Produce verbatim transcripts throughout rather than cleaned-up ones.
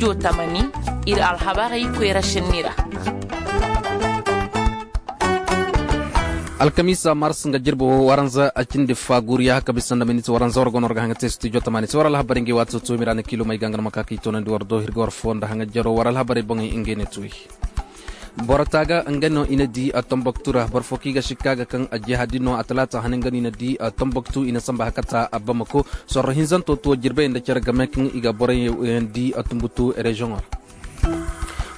Tamani, ir alhabarey koyra senni ra. Alkamiisa mars nga jirbi wo waranza a cindi faaguriya ka bisa nda miniti waranza war go no war ga haŋa te studio tamani se war alhabarey ngey waati tuumi ra na kiilumey ga nga no ma ka ka i toonandi war do hirga war foo nda haŋa jaro war alhabarey boŋey ngey ne tuuyi. Boro taaga nga no i na di a tomboktu ra boro fo kaŋ i ga sikka ga kaŋ a jihadi no a talaata hane nga no i na di a tomboktu i na samba hakata a bamako. Sorro hinzanto tuwo jirbey nda care game kaŋ i ga borey yaŋ di a tumbutu reziyoŋo ra.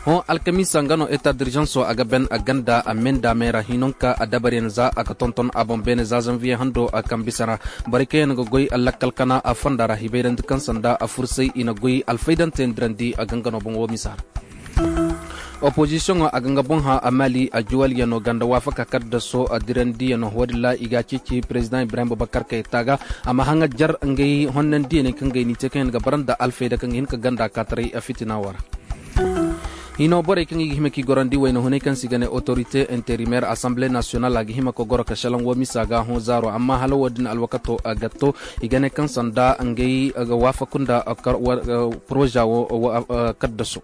Hõ alkamiisa nga no eta dirjanso a ga ben a ganda a menda meera hinonka a dabaryaŋ za a ga tonton a boŋ beene za zanviye hando a kaŋ bisa ra. Borey kaŋ yaŋ ga goy a lakkal kana a fonda ra hibayrandi kaŋ sanda a fursay i na goy alfaydante ndirandi a gangano boŋ wo misa ra. Opozisiyoŋo a ga nga boŋ hã a maali a juwalyano ganda waafaka kaddaso a dirandiyanoo woodin ra i ga a ceeci perezidaŋ ibrahim bubakar kay taaga a ma haŋa jar ngey honnandiyaney kaŋ gay n'i te kaŋ yaŋ ga bara nda alfayda kaŋ ga hin ka ganda kaataray a fitina woo ra. Hino borey kaŋ i ga hima k'i gorandi wayna hunay kaŋ se i ga ne otorite interimeer asanbile nasiyonal a ga hima ka goro ka šelaŋ woo misa ga hõ zaaro amma hala woodin alwakato ga to i ga ne kaŋ sanda ngey ga waafaku nda poroza woo. Kaddaso.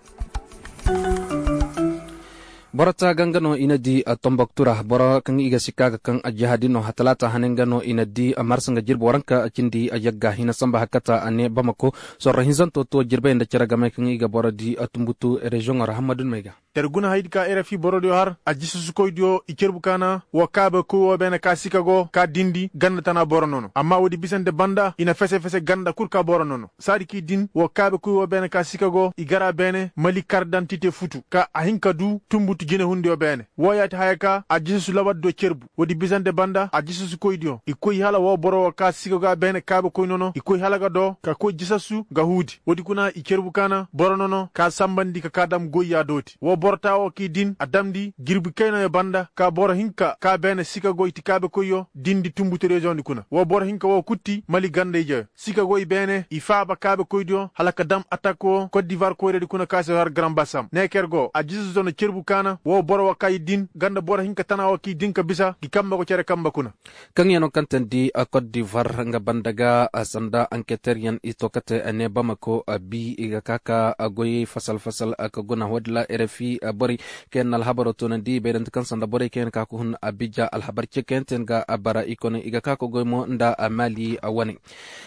Boro taaga nga no i na di tomboktu ra boro kaŋ i ga sikka ga kaŋ a jihadi no ha talaata hane nga no i na di marsa nga jirbi waranka cindi yagga hina samba hakata a ne bamako. Sorro hinzanto to jirbey nda cere gamey kaŋ i ga boro di tumbutu reziyoŋo ra hammadun may ga. Yer guna haydi ka rfi borodiyo har a jisasukoydiyo i cerbu kaana woo kaabekoy woo beene ka sika go ka dindi ganda tana boro nono amma woodi bisante banda i na fese-fese ganda kul ka boro nono saadi k'i din woo kaabekoy woo beene ka sika go i gara beene mali kardantite futu ka a hin ka duu tumbutu jinehundiyo beene. Wooyaa ti haya ka a jisasu labardiyo cerbu woodi bisante banda a jisasukoydiyo i koy hala woo boro woo ka sika go a beene kaabekoy nono i koy hala ga doo ka koy jisasu ga huudi woodi kuna i cerbu kaana boro nono ka sambandi ka kaa dam goyyaa dooti woo boro taa woo k'i din a damndi jirbi kaynayo banda ka boro hinka ka beene sika goy ti kaabekoyyo dindi tumbutu reziyoŋdi kuna woo boro hinka woo kul ti mali ganda-ijeyo sika goy beene i faaba kaabekoydiyo hala ka dam atak woo kot divar koyradi kuna ka se har garan basam neeker go a jisasuzo na cerbu kaana woo boro woo ka i din ganda boro hinka tana woo k'i din ka bisa ngi kambe go cere kambe kuna. Kaŋ yaŋ no kaŋ teendi kot divar nga banda ga sanda anketeryaŋ i to kate ne bamako bi i ga ka ka goyey fasal-fasal ka guna woodin ra rfi borey kaŋ yaŋ na alhabaro toonandi i bayrante kaŋ sanda borey kaŋ yaŋ ka ka hun abija alhabar ce kaŋ yaŋ te nga bara i kone i ga ka ka goy mo nda maali wane.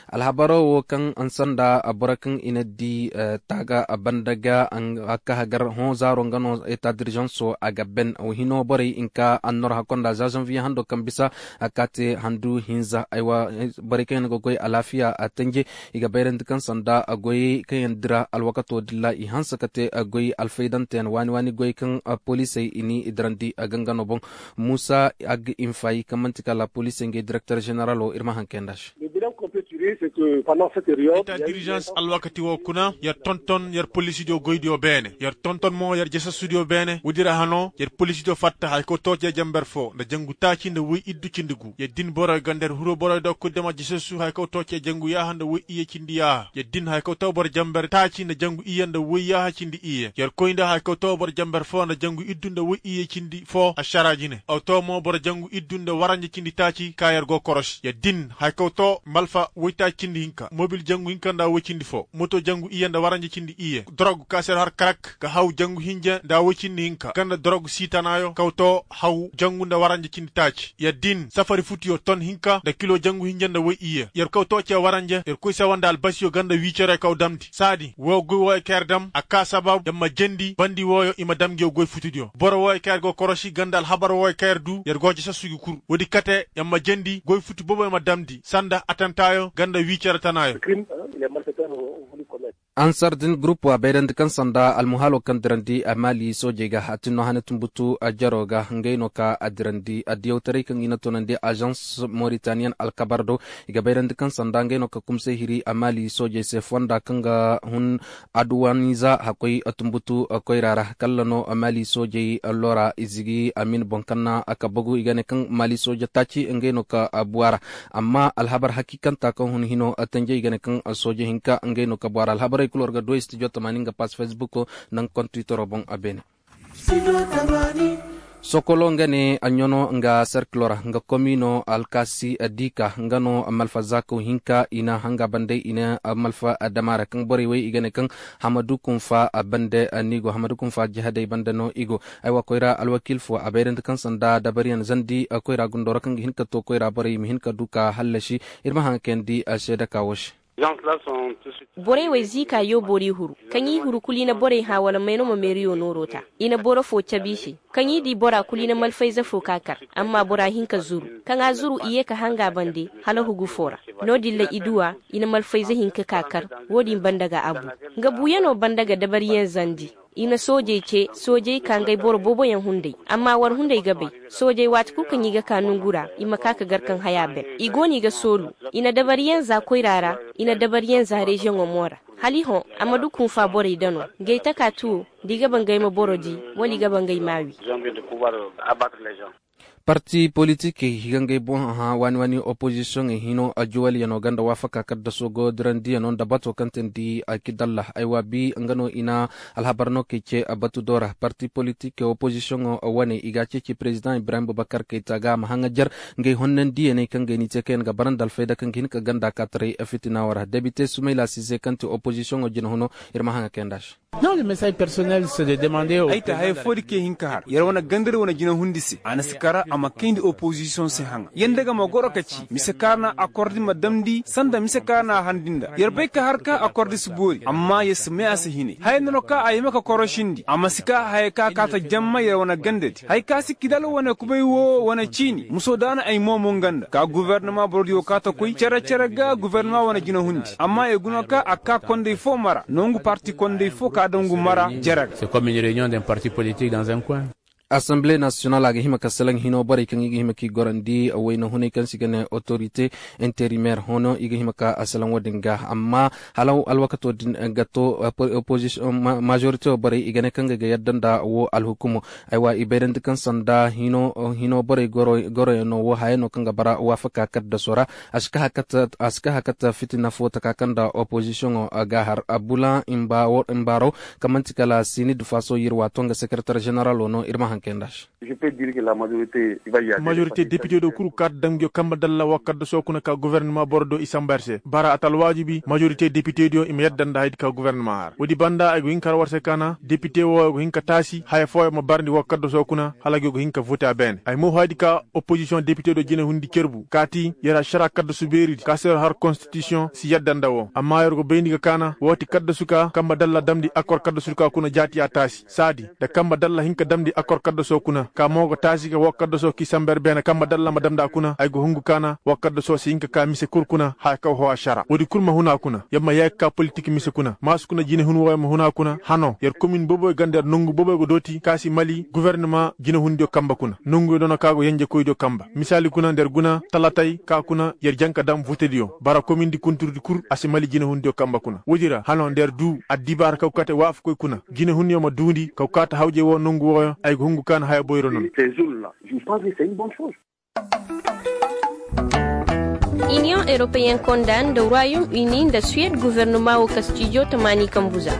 Alhabaro wo kaŋ sanda boro kaŋ i na di taaga banda ga a ka hagar hõ zaaro nga no eta dirizanso a ga ben hino borey hinka annor hakko nda za zanviye hando kaŋ bisa a ka te handu hinza borey kaŋ yaŋ ga goy alaafiya a tanje i ga bayrandi kaŋ sanda goyey kaŋ yaŋ dira alwakato dilla i hanse ka te goy alfaydante yaŋ waani waani goy kaŋ poliisey i ni dirandi gangano boŋ. Muusa ag infayi kaŋ man'ti kala poliisey ngey direkter ženeralo ir ma haŋ kayandi a se. Eta dirizans alwakati wo kuna yer tonton yer poliisidiyo goydiyo beene yer tonton mo yer jesasudiyo beene woodi ra hano yer poliisidiyo fatta haya kaw too cee jamber foo nda jangu taaci nda woy iddu cindi gu yer din boroyo ganda yer huru boroyo do kul dama jesasu haya kaw too cee jangu yaaha nda woy iyye cindi yaaha yer din haya kaw too boro jamber taaci nda jangu iyye nda woy yaaha cindi iyye yer koy nda haya kaw too boro jamber foo nda jangu iddu nda woy iyye cindi foo ašaraa jine aw too mo boro jangu iddu nda waranja cindi taaci ka yer go korosi yer din haya kaw too malfa woytaaci cindi hinka mobil jangu hinka nda woy cindi foo moto jangu iyye nda waranja cindi iyye dorog ka se yer har karak ga haw jangu hinja nda woy cindi hinka ganda dorog siitanaayo kaw too haw jangu nda waranja cindi taaci yer din safari futuyo ton hinka nda kilo jangu hinja nda woy iyye yer kaw too cee waranja yer koy sawa nda albasiyo ganda wiicerey kaw damndi saadi woo goy wooyo ka yer dam a kaa sabab yer ma jendi bandi wooyo i ma dam ngiyo goy futudiyo boro wooyo ka yer go korosi ganda alhabar wooyo ka yer duu yer go jesasu gi kul woodi kate yer ma jendi goy futu boboyo ma damndi sanda atantaayo ganda wiicere tanaayo. Ansar din gurup wa bayrandi kaŋ sanda almuhalo kaŋ dirandi a maali soojey ga a tinno hane tumbutu a jaro ga ngey no ka a dirandi a diyawtaray kaŋ i na tunandi azans moritaniyan alkabar do i ga bayrandi kaŋ sanda ngey no ka kumsay hiri a maali soojey se fonda kaŋ ga hun aduwaniza hakoy tumbutu koyra ra kalla no maali soojey lora izigi amin boŋ kaŋ na a ka bagu i ga ne kaŋ maali sooje taaci ngey no ka buwa ra. Amma alhabar hakiikanta kaŋ hun hino tanjey ga ne kaŋ sooje hinka ngey no ka bora alhabarey kul war ga doy studio tamaani nga pass facebook nda nga kontwitero boŋ a beene. Sokolo nga ne a ɲano nga serkilo ra nga komino alkasi dika nga no malfa zaakaw hinka i na hanga bande i na malfa damaara kaŋ borey wey i ga ne kaŋ hamadu kunfa bande. Ni go hamadu kunfa jihadey bande no i go. Ay wa koyra alwakiil fo a bayrandi kaŋ sanda dabariyaŋ zandi koyra gundo ra kaŋ ga hin ka to koyra borey i ma hin ka du ka hallasi. Ir ma haŋ kayandi seede ka wo se. Borey wey ziika yo boro i huru kaŋ i huru kulu i na borey hã wala may no ma meeriyo nooro ta. I na boro fo cabe i se kaŋ i di bora kulu i na malfayze fo ka kar. Amma bora hin ka zuru kaŋ a zuru i ye ka hanga bande hala hugu fo ra. No- din ra i du a i na malfayze hin ka ka kar. Wo- din banda ga a bu nga buuyano banda ga dabariyaŋ zandi. I na soojey ce soojey ka ngey boro booboyaŋ hunday. Amma war hunday ga bay soojey waati kulu kaŋ i ga ka nongu ra i ma ka ka gar kaŋ haya ben i go no i ga soolu. I na dabariyaŋ za koyra ra i na dabariyaŋ za reziyoŋo mo ra. Hala i hõ a ma du kunfa borey dano ngey taka tuwo. Da i ga ba ngey ma boro di wala i ga ba ngey ma a wi. Parti politikey i ga ngey boŋ hã waani waani opozisiyoŋey hino juwaliyano ganda waafaka kaddasoo go dirandiyano nda bato kaŋ teendi kidalla ay waabi nga no i na alhabar no kay ce batu do ra parti politikey opozisiyoŋo wane i ga a ceeci perezidaŋ ibrahim bubakar kay ta ga a ma haŋajer ngey honnandiyaney kaŋ gay ni te kaŋ yaŋ ga bara nda alfayda kaŋ ga hin ka ganda kaataray fitinaawo ra debite sumayla size kaŋ te opozisiyoŋo jinahuno. Ir ma haŋa kay nda se. Ay ta haya foodi kaŋ i hin ka har yer wane ganda yer wane jinahundi se a na si kara a ma kayndi opozisiyoŋ se haŋa yer nda ga ma goro ka ci mise kaŋ a na akordi ma damndi sanda mise kaŋ a na a harndi nda yer bay ka har ka akordi si boori amma yer si may a se hinay haya nda no kaŋ a hima ka korosindi a ma si ka haya kaŋ a kaata jamma yer wane gandadi haya kaŋ a si kidal wane kubay wo wane ciini muso da a na ay mo mo nga nda ka gubernama borodiyo kaata koy cere cere ga gubernama wane jinahundi amma yer guna kaŋ a ka konday fo mara nongu parti konday fo ka dangu mara jere ga. Asamble nasiyonal a ga hima ka salaŋ hino borey kaŋ i ga hima k'i gorandi wayna hunay kaŋ se i ga ne otorite interimeer hono i ga hima ka a salaŋ wo-din ga amma hala alwakato din ga to. Opozisiyoŋ majorite borey i ga ne kaŋ ga yadda nda wo alhukumo. Aywa i bayrandi kaŋ sanda hino borey goroyaŋ no wo haya no kaŋ ga bara waafaka kaddasoo ra. A si ka hakata fitina fo taka kaŋ nda opozisiyoŋo ga har abula. Mbaaraw kaŋ man'ti kala sinid faso yir waato nga sekeretar ženeralo no ir ma haŋ kay nda se. Majorite depite do kul kaata damgiyo kamba dalla wa kaddasoo kuna ka guvernama boro do i samba yer se bara a ta alwaajibi majorite depite diyo i ma yadda nda hayadi ka guvernama har woodi banda ay go hin ka har war se ka na depite wo ay go hin ka taasi haya fooyo ma barndi wa kaddasoo kuna hala gi go hin ka vote a beene ay mo hayadi ka opozisiyoŋ depite do jinahundi cerbu kaati yer ašara kaddasu beeridi ka se yer har konstitisiyoŋ si yadda nda wo amma yer go bayndi ga ka na wooti kaddasu ka kamba dalla damndi akor kaddasu ka kuna jaati a taasi saadi nda kamba dalla hin ka damndi akor kaddasoo kuna ka mo ga taasi ga woo kaddasoo k'i samba yer beene kamba dalla ma damndi a kuna ay ga hungu ka na woo kaddasoo si hin ka ka mise kul kuna haya kaŋ hoo ašara woodi kul ma hun a kuna yer ma yee ga ka politik mise kuna maasu kuna jinehun wooyo ma hun a kuna hano yer komin booboyo ga nda yer nongu booboyo ga dooti ka si mali gubernama jinehundiyo kamba kuna nonguyo doona ka go yenjekoydiyo kamba misaali kuna nda yer guna talatay ka kuna yer jaŋ ka dam votediyo bara komindi kunturdi kul a si mali jinehundiyo kamba kuna woodi ra hano nda yer duu addibaara kaw kaate waafakoy kuna jinehunyo ma duundi kaw kaata hawjay woo nongu wooyo ay ga hungu ka na haya boyro no no. Iniyoŋ europeyen konda nda royom uni nda suwed guvernoma woo kastijo tamaani kambu za.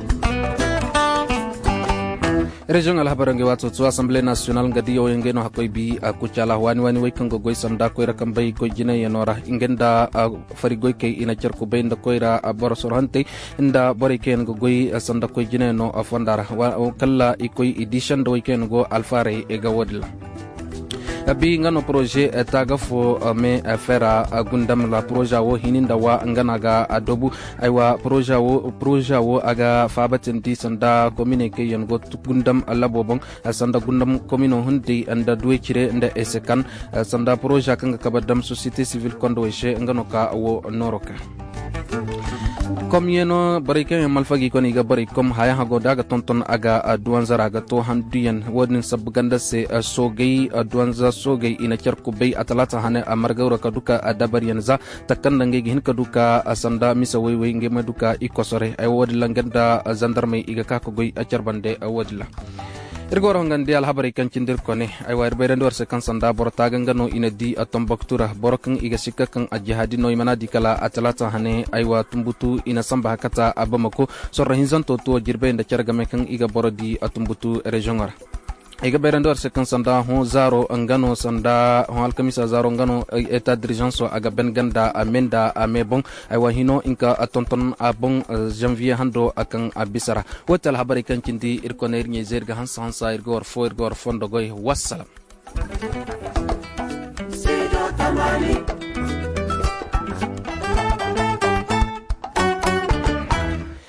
Reziyoŋ alhabaroo ngey waato to asamble nasiyonal nga diya wooyo ngey no hakkoy bi a kucaala waani waani wey kaŋ ga goy sanda koyra kambey goy jinayyanoo ra ngey nda fari goykey i na car kubay nda koyra boro sorhantey nda borey kaŋ yaŋ ga goy sanda koy jinayyanoo fonda ra kala i koy i di senda wey kaŋ yaŋ go alfaaray ga woodin ra. Bi nga no poroze taaga fo me fera gundam ra poroza wo hini nda wa nga no a ga a doobu. Aywa poroza wo a ga faabatandi sanda kominey kaŋ yaŋ go gundam labo boŋ sanda gundam komino hunday nda duwey cire nda esekan sanda poroza kaŋ ga kabe dam sosiyete sivil kondowey se nga no ka wo nooro ka. Komyano borey kaŋ yaŋ malfa ga i kone i ga borey kom haya hago da a ga tonton a ga duwanzara ga to handuyaŋ wo- din sabbu ganda se. Soogey duwanza soogey i na car kubay a talaata hane a margawra ka duka a dabaryaŋ za takanda ngey ga hin ka duka a sanda mise woy-woy ngey ma duka i kosore ay wo- din ra ngey nda zandarmey i ga ka ka goy a car bande wo- din ra. Ir ga war hongandi alhabarey kaŋ cindi ir kone. Aywa ir bayrandi war se kaŋ sanda boro taaga nga no i na di a tomboktu ra boro kaŋ i ga sikka kaŋ a jihaadi no i mana di kala a talaata hane aywa tumbutu i na samba hakata a bamako. Sorro hinzanto tuwo jirbey nda care game kaŋ i ga boro di a tumbutu reziyoŋo ra. I ga bayrandi war se kaŋ sanda hõ zaaro nga no sanda hõ alkamisa zaaro nga no eta dirijanso a ga ben ganda a me nda a me boŋ. Aywa hino nka a tonton a boŋ. Janviye hando a kaŋ a bisa ra. Woo ti alhabarey kaŋ cindi ir kone ir ɲey zey ir ga hansa hansa ir ga war fo ir ga war fondo goy. Wassalam.